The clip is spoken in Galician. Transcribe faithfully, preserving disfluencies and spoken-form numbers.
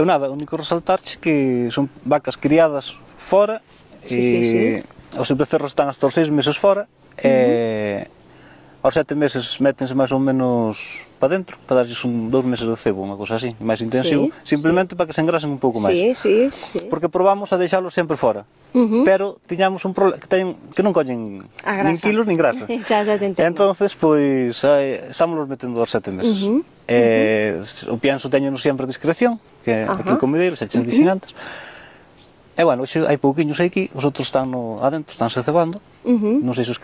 Eu nada, o único resaltarche que son vacas criadas fora, Sí, sí, e os becerros están hasta os seis meses fora, e aos sete meses métense máis ou menos para dentro, para darlles un, dous meses de cebo, unha cosa así, máis intensivo, Sí, simplemente para que se engrasen un pouco máis. Sí, sí, sí. Porque probamos a deixalos sempre fora, Uh -huh. pero tiñamos un problema que, ten, que non collen nin kilos nin grasa. Xa, xa te E entonces, pois, eh, estamos metendo aos sete meses. Uh -huh. eh, o pienso teñenos sempre a discreción, que Ajá. aquí o comideiro, xa che dixen antes. E bueno, hoxe hai pouquiños aquí, os outros están no, adentro, estánse cebando, Uh -huh. non sei se os